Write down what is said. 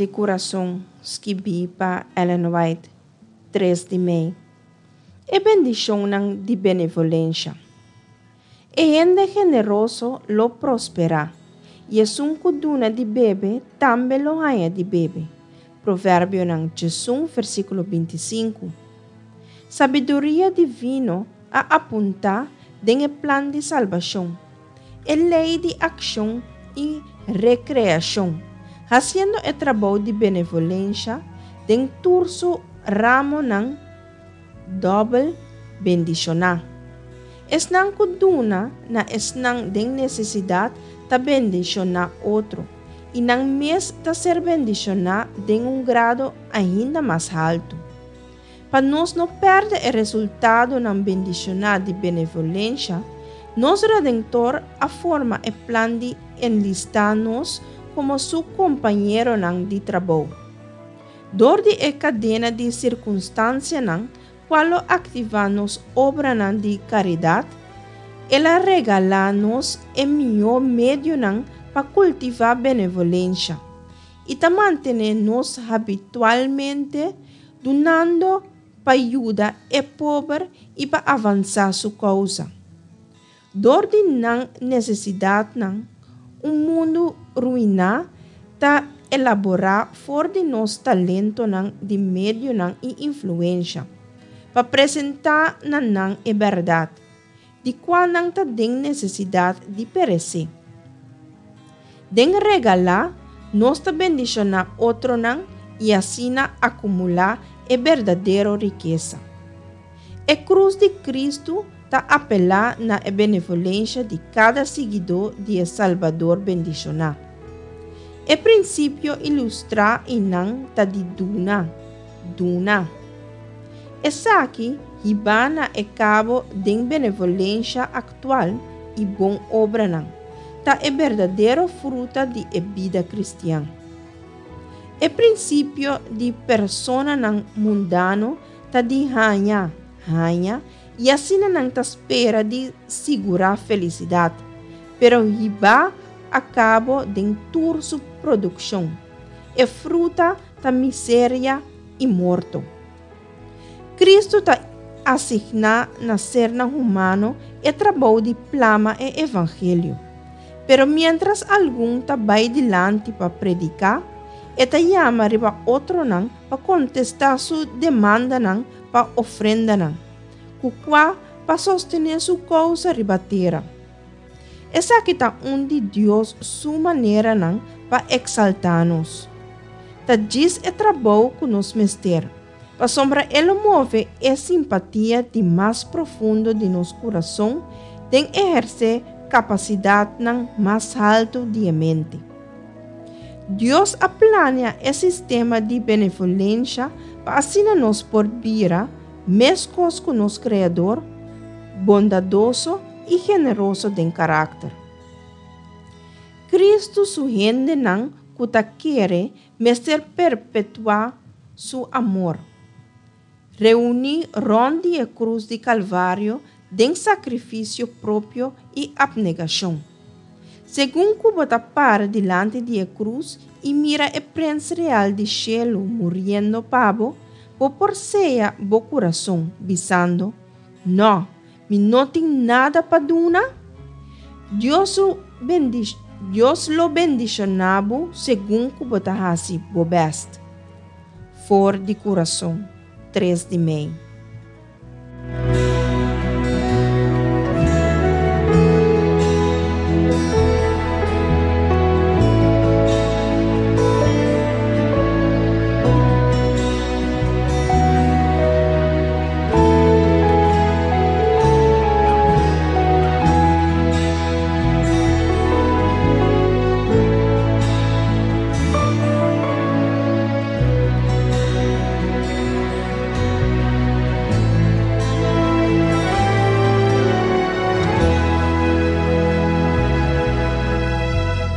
di Kurason skibí pa Ellen White, tres di mei. E bendishonnan di benevolensha. E hende generoso lo prosperá, i esun ku duna di bebe tambe lo haña di bebe. Proverbionan 11 versíkulo 25. Sabiduria divino a apuntá den e plan di salbashon, e lei di akshon i rekreashon, hasiendo e trabou di benevolensha den tur su ramonan dòbel bendishoná. Esnan ku duna na esnan den nesesidat ta bendishoná otro, i nan mes ta ser bendishoná den un grado ainda mas haltu. Pa nos no pèrdè e resultadonan bendishoná di benevolensha, nos Redentor a forma e plan di enlistá nos komo su kompañeronan di trabou. Dor di e kadena di sirkunstansianan kual lo aktivá nos obranan di karidat, el a regalá nos e mihó medionan pa kultivá benevolensha i ta mantené nos habitualmente dunando pa yuda e pober i pa avansá su kousa. Dor di nan nesesidatnan, un mundu ruiná ta elaborá for di nos talentonan di medionan i influensha, pa presentá na nan e bèrdat, di kua nan ta den nesesidat di peresé. Den regalá, nos ta bendishoná otronan i asina akumulá e berdadero rikesa. E krus di Kristu ta apelá na e benevolensha di kada siguidó di e Salbador bendishoná. E prinsipio ilustrá einan ta di duna, duna. Esaki hibá na e kabo den benevolensha aktual i bon obranan, ta e berdadero fruta di e bida kristian. E prinsipio di personanan mundano ta di haña, haña, i asina nan ta spera di sigurá felisidat, pero hibá a kabo den tur su produkshon. E fruta ta miseria i morto. Kristu ta asigná na sernan humano e trabou di plama e evangelio. Pero miéntras algun ta bai dilanti pa prediká, e ta yama riba otronan pa kontestá su demandanan pa ofrendanan, ku kua pa sostené su kousa riba tera. Esaki ta un di Dios su maneranan pa eksaltá nos. Ta djis e trabou ku nos mester, pasobra e lo move e simpatia di mas profundo di nos kurason den ehersé kapasidatnan mas haltu di e mente. Dios a plania e sistema di benevolensha pa asina nos por bira, meskos ku nos Kreador, bondadoso i generoso den karakter. Kristu su hendenan ku ta kere mester perpetuá su amor. Reuní rònt di e krus di Kalvario den sakrifisio propio i apnegashon. Segun ku bo ta para dilanti di e krus i mira e Prens Real di shelu muriendo pa bo, bo por seya bo kurason, bisando, Nò, mi no tin nada pa duna? Dios su Dios lo bendishoná bo segun ku bo ta hasi bo bèst. For di kurason, tres di mei.